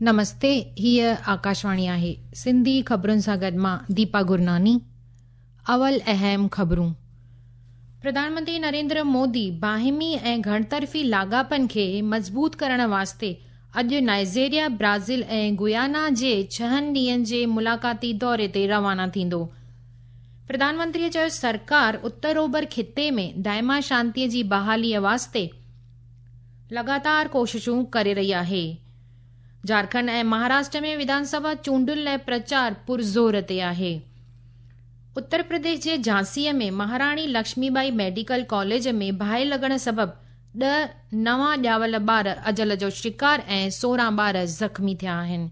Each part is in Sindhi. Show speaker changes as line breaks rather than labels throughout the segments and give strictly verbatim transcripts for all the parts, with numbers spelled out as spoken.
نمستي، هيء آڪاشواڻي آهي. سنڌي خبرن سان گڏ مان ديپا گرناني. اول اهم خبرون. پرڌان منتري نريندر مودي باهمي ۽ گهڻطرفي لاڳاپن کي مضبوط ڪرڻ واسطي اڄ نائيجيريا، برازيل ۽ گيانا جي ڇهن ڏينهن جي ملاقاتي دوري تي روانا ٿيندو. پرڌان منتريء چيو سرڪار اتر اوڀر خطي ۾ دائما شانتيء جي بحاليء واسطي لڳاتار ڪوششون ڪري رهي آهي. جهارکنڊ ۽ مهاراشٽر ۾ وڌان سڀا چونڊن لاءِ پرچار پرزور تي آهي. اتر پرديش جي جهانسيءَ ۾ مهاراڻي لڪشمي ٻائي ميڊيڪل ڪاليج ۾ باهه لڳڻ سبب ڏهه نوان ڄاول ٻار اجل جو شڪار ۽ سورهن ٻار زخمي ٿيا آهن.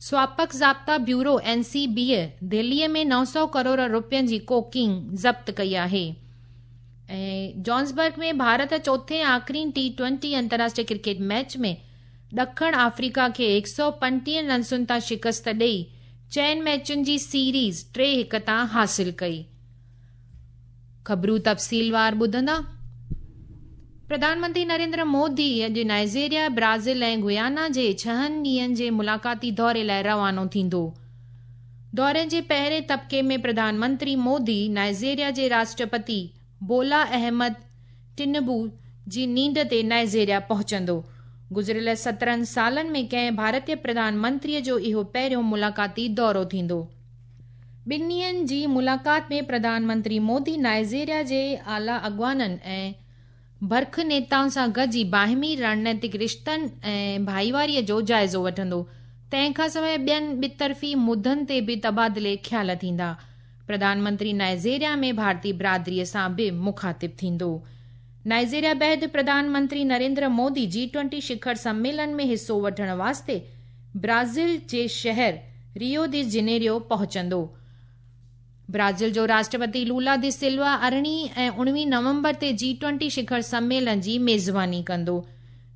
سواپڪ ضابطا بيورو اين سي بيءَ دهليءَ ۾ نو سؤ ڪروڙ رپين جي ڪوڪين ضبط ڪئي آهي. ۽ جانسبرگ ۾ ڀارت چوٿين آخرين ٽي ٽوئنٽي انترراشٽريه ڪرڪيٽ ميچ ۾ ڏکڻ آفريڪا کي هڪ سؤ پنجٽيهه رنسن تان شڪست ڏيئي چئن ميچن جي سيريز ٽي هڪ تان حاصل ڪئي. خبرون تفصيلوار ٻڌندا. پرڌان منتري نريندر مودي اڄ نائيجيريا، برازيل ۽ گيانا جي ڇهن ڏينهن جي ملاقاتي دوري لاءِ روانو ٿيندو. دوري جي پهرين طبقي ۾ پرڌان منتري مودي نائيجيريا جي راشٽرپتي بولا احمد ٽنبو جي نينڍ تي نائيجيريا پهچندو. گذريل سترهن سالن ۾ ڪنهن ڀارتيه پرڌان منتريءَ جو اهو پهريون ملاقاتي دورو ٿيندو. ٻن ڏينهن جي ملاقات ۾ پرڌان منتري مودي نائيجيريا جي اعليٰ اڳواڻن ۽ برک نيتائن سان گڏجي باهمي رڻنيتڪ رشتن ۽ ڀائيواريءَ جو جائزو وٺندو. تنهن کان سواءِ ٻين ٻطرفي مدن تي به تبادلي خيال ٿيندا. پرڌان منتري نائيجيريا ۾ ڀارتيه برادريءَ سان به مخاطب ٿيندو. نائيجيريا بعد پرڌان منتري نريندر مودي جي ٽوئنٽي شکر سميلن ۾ حصو وٺڻ واسطي برازيل جي شهر ريو the جنيريو پهچندو. برازيل جو راشٽرپتي لولا the Silva ارڙهين ۽ اڻويهه نومبر تي جي ٽوئنٽي شکر سميلن جي ميزباني ڪندو.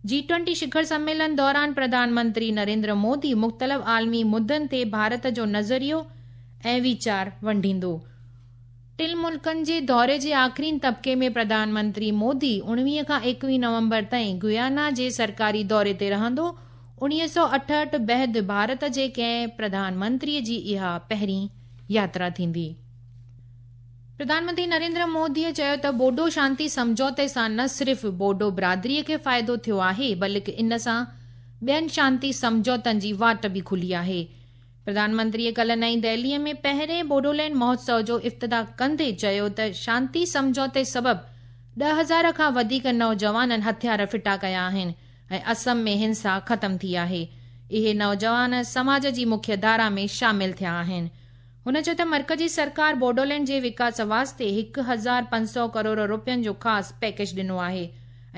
جي ٽوئنٽي شکر سميلن دوران پرڌان منتري نريندر مودي مختلف عالمي مدن تي ڀارت جو نظريو ۽ ويچار ونڊيندو. ٽن ملڪن جي دوري جي آخرين طبقي ۾ پرڌان منتري مودي اڻويهه کان ايڪويهه نومبر تائين گيانا جي سرڪاري دوري تي رهندو. اڻويهه سؤ اٺهٺ بعد ڀارت جي ڪنهن پرڌان منتريءَ جي اها پهرين ياترا ٿيندي. پرڌان منتري نريندر موديءَ چيو ته بوڊو شانتي سمجهوتي سان نه صرف بوڊو برادريءَ کي فائدو ٿيو آهي بلڪه ان سان ٻين شانتي سمجهوتن جي واٽ به کلي آهي. پرڌان منتريءَ ڪالهه نئين دهليءَ ۾ پهرين بوڊولينڊ مهوتسو جو افتتاح ڪندي چيو ته شانتي سمجهوتي سبب ڏهه هزار کان وڌيڪ نوجوانن هٿيار ڦٽا ڪيا آهن ۽ اسم ۾ هنسا ختم ٿي آهي. اهي نوجوان سماج جي مکيه ڌارا ۾ شامل ٿيا آهن. هن چيو ته مرڪزي سرڪار بوڊولينڊ جي وڪاس واسطي هڪ هزار پنج سؤ ڪروڙ رپين جو خاص پيڪيج ڏنو آهي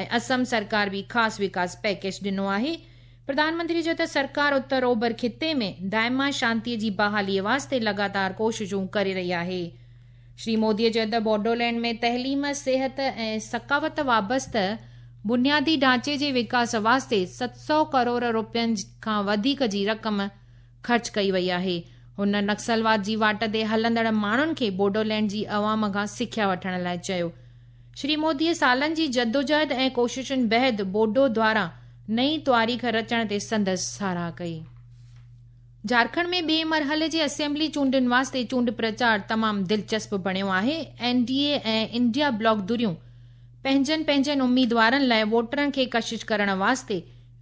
۽ اسم سرڪار به خاص وڪاس پيڪيج ڏنو آهي. پرڌان منتري چيو ته سرڪار اتر اوڀر خطي ۾ دائما شانتيءَ جي بحاليءَ واسطي لڳاتار ڪوششون ڪري رهي آهي. شري موديءَ چيو ته بوڊولينڊ ۾ تعليم، صحت ۽ ثقافت وابسته بنيادي ڍانچي جي وڪاس واسطي ست سؤ ڪروڙ رپين کان وڌيڪ جي رقم خرچ ڪئي وئي آهي. هن نڪسلواد جي واٽ تي هلندڙ ماڻهن کي بوڊولينڊ جي عوام کان سکيا وٺڻ لاءِ چيو. شري موديءَ سالن جي جدوجهد ۽ ڪوششن بعد بوڊو دواران نئين تواريخ رچڻ تي سندس ساراهه ڪئي. جهارکنڊ ۾ ٻئي مرحلي جي اسيمبلي چونڊن واسطي چونڊ پرچار تمام دلچسپ بڻيو آهي. اين ڊي اي ۽ انڊيا بلاڪ ڌريون پنهنجن پنهنجن اميدوارن لاءِ ووٽرن کي ڪشش ڪرڻ واسطي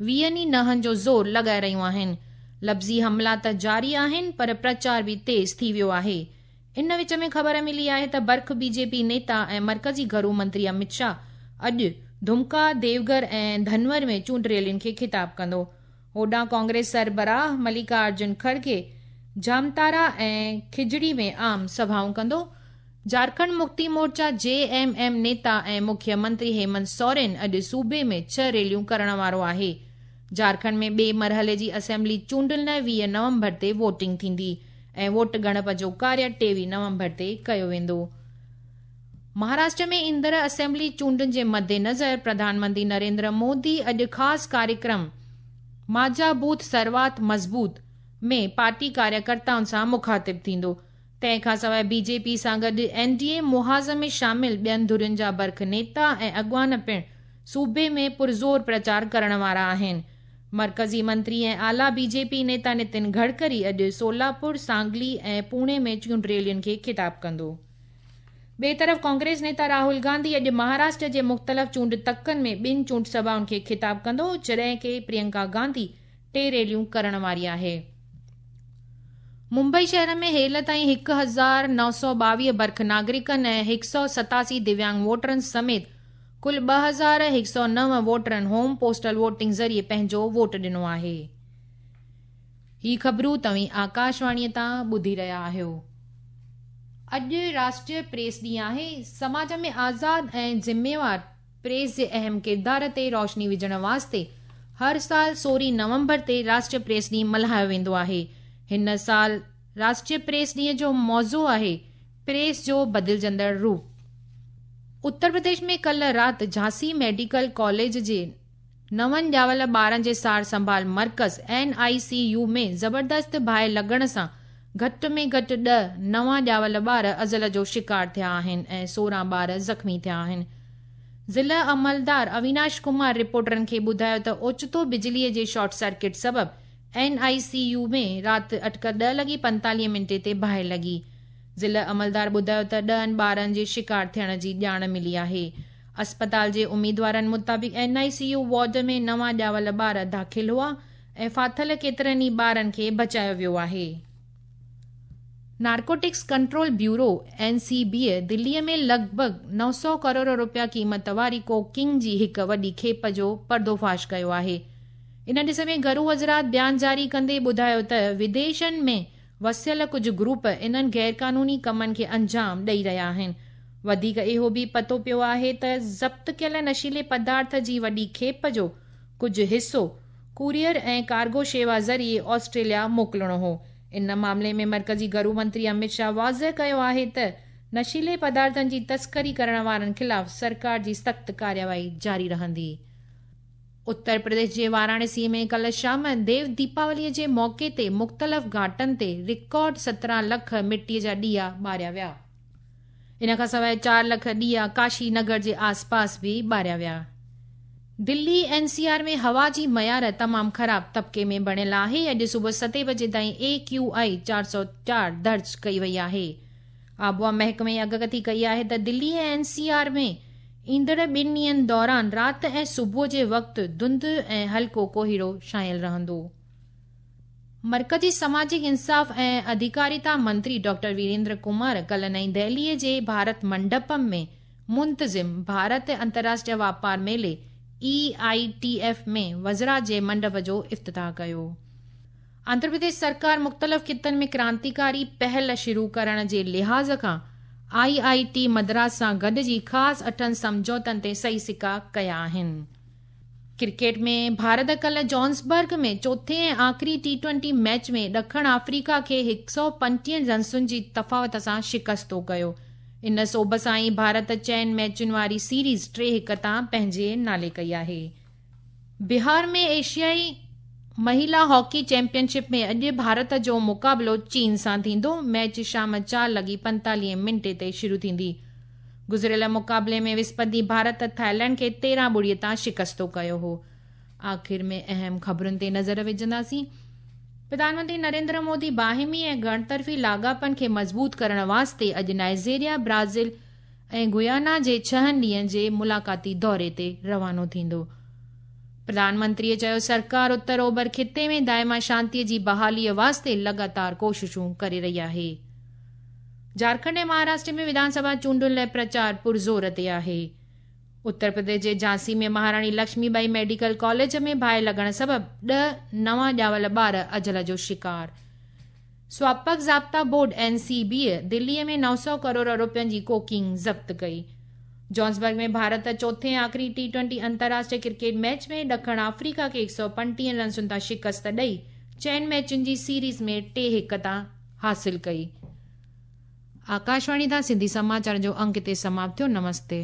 ويهن ئي نهن جو زور لڳائي رهيون آهن. لفظي حملا ته جاري آهن پر پرچار به تيز ٿي ويو آهي. ان وچ ۾ خبر ملي آهي ته برک بي جي پي نيتا ۽ مرڪزي گهرو منتري امت شاهه اڄ ڌمڪا، ديوگهر ۽ ڌنور ۾ چونڊ ريلين کي خطاب ڪندو. هوڏانهن ڪانگريس سربراهه ملڪا ارجن کڙگي جامتارا ۽ کجڙي ۾ عام سڀائون ڪندو. جهارکنڊ مڪتي مورچا جي ايم ايم نيتا ۽ مکيه منتري هيمنت سورين اڄ صوبي ۾ ڇهه ريليون ڪرڻ وارو آهي. جهارکنڊ ۾ ٻئي مرحلي جي اسيمبلي چونڊن لاءِ ويهه نومبر تي ووٽنگ ٿيندي ۽ ووٽ ڳڻپ جو ڪاريه ٽيويهه نومبر تي ڪيو ويندو. مهاراشٽر ۾ ايندڙ اسيمبلي چونڊن جي مدنظر پرڌان منتري نريندر مودي اڄ خاص ڪاريڪرم ماجا بوٿ سروات مضبوط ۾ پارٽي ڪاريڪرتائن سان مخاطب ٿيندو. تنهن کان سواءِ بي جي پي سان گڏ اين ڊي اي محاذ ۾ شامل ٻين ڌرين جا برک نيتا ۽ اڳواڻ پڻ صوبي ۾ پرزور پرچار ڪرڻ وارا آهن. مرڪزي منتري ۽ اعليٰ بي جي پي نيتا نتن گڊڪري اڄ سولاپور، سانگلي ۽ پوني ۾ چونڊ ريلين کي خطاب ڪندو. ٻئي طرف ڪانگريس نيتا راهول گانڌي اڄ مهاراشٽر جي مختلف چونڊ تڪن ۾ ٻن چونڊ سڀائن کي خطاب ڪندو، جڏهن ڪه پريانڪا گانڌي ٽي ريليون ڪرڻ واري آهي. ممبئي شهر ۾ هيل تائين هڪ هزار نو سؤ ٻاويهه برک ناگرڪن ۽ هڪ سؤ ستاسي دويانگ ووٽرن سميت ڪل ٻه هزار هڪ سؤ نو ووٽرن هوم پوسٽل ووٽنگ ذريعي پنهنجو ووٽ ڏنو آهي. هي خبرون توهين آڪاشواڻيء تان ٻڌي رهيا آهيو. اڄ راشٽريه پريس ڏينهن آهي. سماج ۾ آزاد ۽ ذميوار پريس جي اهم ڪردار تي روشني وجهڻ واسطي هر سال سورهين نومبر تي راشٽريه پريس ڏينهن ملهايو ويندو آهي. هن سال راشٽريه پريس ڏينهن جو موضوع آهي پريس جو بدلجندڙ روپ. اتر پرديش ۾ ڪلهه رات جهانسي ميڊيڪل ڪاليج جي نون ڄاول ٻارن جي سار سنڀال مرڪز اين آء سي يو ۾ زبردست باهه لڳڻ سان گهٽ ۾ گهٽ ڏهه نوان ڄاول ٻار ازل جو شڪار ٿيا آهن ۽ سورهن ٻار زخمي ٿيا آهن. ضلع عملدار اويناش ڪمار رپورٽرن کي ٻڌايو ته اوچتو بجليء جي شارٽ سرڪٽ سبب اين آء سي يو ۾ رات اٽڪل ڏهه لڳي پنجيتاليهه منٽي تي باهه لڳي. ضلع عملدار ٻڌايو ته ڏهن ٻارن جي شڪار ٿيڻ جي ڄاڻ ملي آهي. اسپتال جي اميدوارن مطابق اين آء سي يو وارڊ ۾ نوان ڄاول ٻار داخل هئا ۽ ڦاٿل ڪيترن ئي ٻارن کي بچايو ويو آهي. Narcotics control bureau N C B دليء ۾ لڳ ڀڳ نو سؤ ڪروڙ رپيا قيمت واري ڪوڪين جي هڪ وڏي کيپ جو پردوفاش ڪيو آهي. ان ڏس ۾ گهرو وزارت بيان جاري ڪندي ٻڌايو ته وديشن ۾ وسيل ڪجهه گروپ انهن غيرقانوني ڪمن کي انجام ڏئي رهيا آهن. وڌيڪ اهو به پتو پيو آهي ته ضبط ڪيل نشيلي پدارٿ جي وڏي کيپ جو ڪجهه حصو ڪوريئر ۽ ڪارگو شيوا ذريعي آسٽريليا موڪلڻو هو. ان معاملي ۾ مرڪزي گهرو منتري امت شاهه واضح ڪيو آهي ته نشيلي پدارٿن جي تسڪري ڪرڻ وارن خلاف سرڪار جي سخت ڪارروائي جاري رهندي. اتر پرديش جي واراڻسي ۾ ڪلهه شام ديو ديپاوليء جي موقعي تي مختلف گهاٽن تي رڪارڊ سترهن لک مٽيء جا ڏيئا ٻاريا ويا. ان کان سواء چار لک ڏيئا ڪاشي نگر جي آسپاس به ٻاريا ويا. دلي اين سي آر ۾ هوا جي معيار تمام خراب طبقي ۾ بڻيل آهي. اڄ صبح ستين بجي تائين اي ڪيو آء چار سؤ چار درج ڪئي وئي آهي. آبهوا محڪمي اڳڪٿي ڪئي آهي ته دلي ۽ اين سي آر ۾ ايندڙ ٻن ڏينهن دوران رات ۽ صبح جي وقت ڌنڌ ۽ هلڪو ڪوهيڙو ڇانيل رهندو. مرڪزي سماجڪ انصاف ۽ اڌڪاريتا منتري ڊاڪٽر ويريندر ڪمار ڪلهه نئين دهليء جي ڀارت منڊپم ۾ منتظم ڀارت انترراشٽريه واپار ميلي اي I T F ۾ وزرا جي منڊپ جو افتتاح ڪيو. آنڌرا پرديش سرڪار مختلف خطن ۾ ڪرانتيڪاري پهل شروع ڪرڻ جي لحاظ کان آء I T Madras سان گڏجي خاص اٺن سمجهوتن تي صحيح سڪا ڪيا آهن. ڪرڪيٽ ۾ ڀارت ڪلهه جوهانسبرگ ۾ چوٿين ۽ آخري ٽي ٽوئنٽي ميچ ۾ ڏکڻ آفريڪا کي هڪ سؤ پنجٽيهه رنسن جي تفاوت سان شڪستو ڪيو. ان سوڀ سان ئي ڀارت چئن ميچن واري سيريز ٽي هڪ تان پنهنجي نالي ڪئي آهي. بهار ۾ ايشيائي مهلا هاڪي چيمپيئن شپ ۾ اڄ ڀارت جو مقابلو چين سان ٿيندو. ميچ شام چار لڳي پنجيتاليهه منٽي تي شروع ٿيندي. گذريل مقابلي ۾ وسپت ڏينهن ڀارت ٿائيلينڊ کي تيرهن ٻڙي تان شڪستو ڪيو هو. آخر ۾ اهم خبرن تي نظر وجهنداسين. پرڌان منتري نريندر مودي باهمي ۽ گهڻطرفي لاڳاپن کي مضبوط ڪرڻ واسطي اڄ نائيجيريا، برازيل ۽ گيانا جي ڇهن ڏينهن جي ملاقاتي دوري تي روانو ٿيندو. پرڌان منتريء چيو سرڪار اتر اوڀر خطي ۾ دائما شانتيء جي بحاليء واسطي لڳاتار ڪوششون ڪري رهي آهي. جهارکنڊ ۽ مهاراشٽر ۾ وڌان سڀا چونڊن لاءِ پرچار پرزور تي آهي. اتر پرديش جي جهانسي ۾ مهاراڻي لڪشمي ٻائي ميڊيڪل ڪاليج ۾ باهه لڳڻ سبب ڏهه نوان ڄاول ٻار اجل جو شڪار. سواپڪ ضابطا بورڊ اين سي بيء دليء ۾ نو سؤ ڪروڙ رپين جي ڪوڪين ضبط ڪئي. جوهانسبرگ ۾ ڀارت چوٿين آخري ٽي ٽوئنٽي انترراشٽريه ڪرڪيٽ ميچ ۾ ڏکڻ آفريڪا کي هڪ سؤ پنجٽيهه رنسن تان شڪست ڏئي چئن ميچن جي سيريز ۾ ٽي هڪ تان حاصل ڪئي. آڪاشواڻي تان سنڌي سماچار جو انڪ هتي سماپت ٿيو. نمستي.